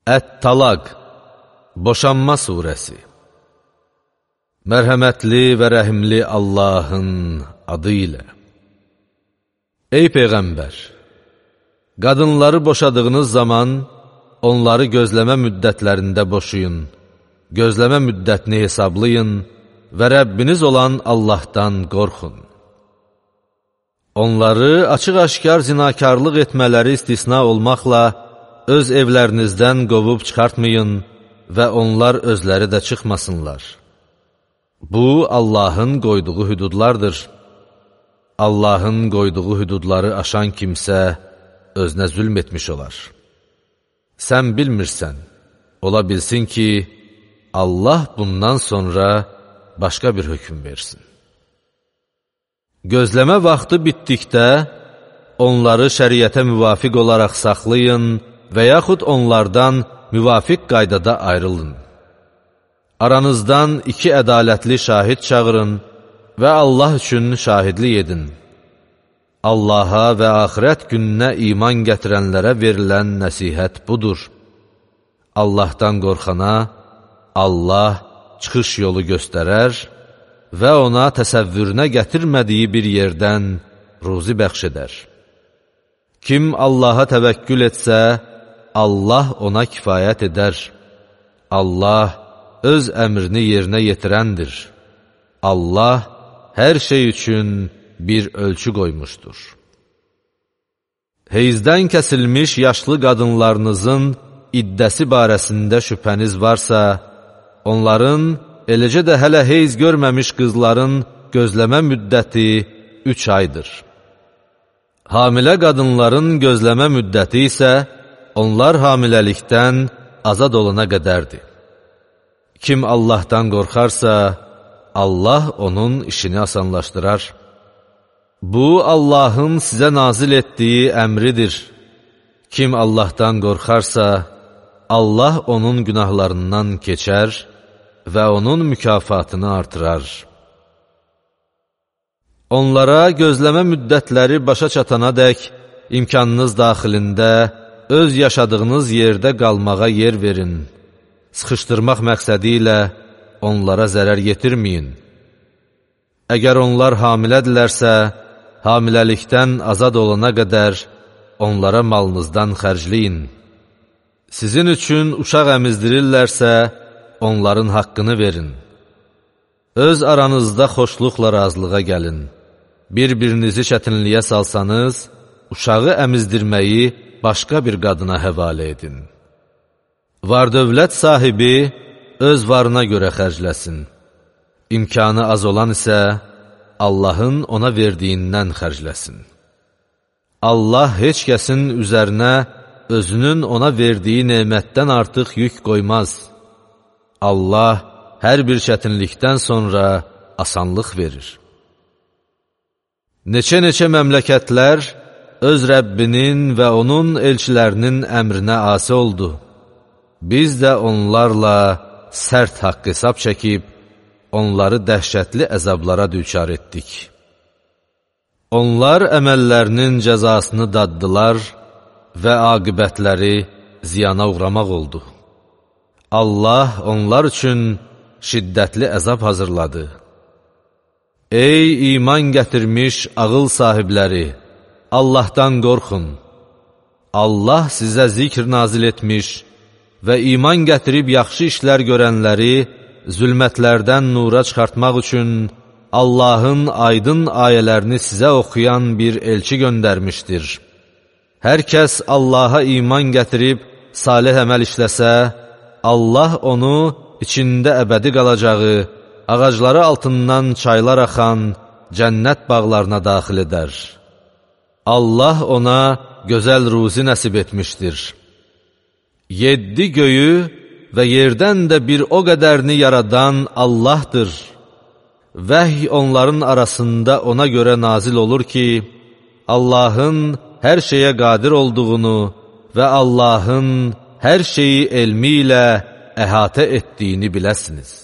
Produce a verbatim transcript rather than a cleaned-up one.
Ət-Talaq, Boşanma surəsi. Mərhəmətli və rəhimli Allahın adı ilə. Ey Peyğəmbər! Qadınları boşadığınız zaman onları gözləmə müddətlərində boşayın, gözləmə müddətini hesablayın və Rəbbiniz olan Allahdan qorxun. Onları açıq-aşkar zinakarlıq etmələri istisna olmaqla öz evlərinizdən qovub çıxartmayın və onlar özləri də çıxmasınlar. Bu, Allahın qoyduğu hüdudlardır. Allahın qoyduğu hüdudları aşan kimsə özünə zülm etmiş olar. Sən bilmirsən, ola bilsin ki, Allah bundan sonra başqa bir hökm versin. Gözləmə vaxtı bitdikdə, onları şəriətə müvafiq olaraq saxlayın və yaxud onlardan müvafiq qaydada ayrılın. Aranızdan iki ədalətli şahid çağırın və Allah üçün şahidlik edin. Allaha və axirət gününə iman gətirənlərə verilən nəsihət budur. Allahdan qorxana Allah çıxış yolu göstərər və ona təsəvvürünə gətirmədiyi bir yerdən ruzi bəxş edər. Kim Allaha təvəkkül etsə, Allah ona kifayət edər. Allah öz əmrini yerinə yetirəndir. Allah hər şey üçün bir ölçü qoymuşdur. Heyzdən kəsilmiş yaşlı qadınlarınızın iddəsi barəsində şübhəniz varsa, onların, eləcə də hələ heyz görməmiş qızların gözləmə müddəti üç aydır. Hamilə qadınların gözləmə müddəti isə onlar hamiləlikdən azad olana qədərdir. Kim Allahdan qorxarsa, Allah onun işini asanlaşdırar. Bu, Allahın sizə nazil etdiyi əmridir. Kim Allahdan qorxarsa, Allah onun günahlarından keçər və onun mükafatını artırar. Onlara gözləmə müddətləri başa çatana dək imkanınız daxilində öz yaşadığınız yerdə qalmağa yer verin. Sıxışdırmaq məqsədi ilə onlara zərər yetirməyin. Əgər onlar hamilədirlərsə, hamiləlikdən azad olana qədər onlara malınızdan xərcləyin. Sizin üçün uşaq əmizdirirlərsə, onların haqqını verin. Öz aranızda xoşluqla razılığa gəlin. Bir-birinizi çətinliyə salsanız, uşağı əmizdirməyi başqa bir qadına həvalə edin. Var-dövlət sahibi öz varına görə xərcləsin. İmkanı az olan isə Allahın ona verdiyindən xərcləsin. Allah heç kəsin üzərinə özünün ona verdiyi nemətdən artıq yük qoymaz. Allah hər bir çətinlikdən sonra asanlıq verir. Neçə-neçə məmləkətlər öz Rəbbinin və onun elçilərinin əmrinə asi oldu. Biz də onlarla sərt haqq hesab çəkib, onları dəhşətli əzablara düçar etdik. Onlar əməllərinin cəzasını daddılar və aqibətləri ziyana uğramaq oldu. Allah onlar üçün şiddətli əzab hazırladı. Ey iman gətirmiş ağıl sahibləri, Allahdan qorxun. Allah sizə zikr nazil etmiş və iman gətirib yaxşı işlər görənləri zülmətlərdən nura çıxartmaq üçün Allahın aydın ayələrini sizə oxuyan bir elçi göndərmişdir. Hər kəs Allaha iman gətirib salih əməl işləsə, Allah onu içində əbədi qalacağı, ağacları altından çaylar axan cənnət bağlarına daxil edər. Allah ona gözəl ruzi nəsib etmişdir. Yeddi göyü və yerdən də bir o qədərini yaradan Allahdır. Vəhy onların arasında ona görə nazil olur ki, Allahın hər şeyə qadir olduğunu və Allahın hər şeyi elmi ilə əhatə etdiyini biləsiniz.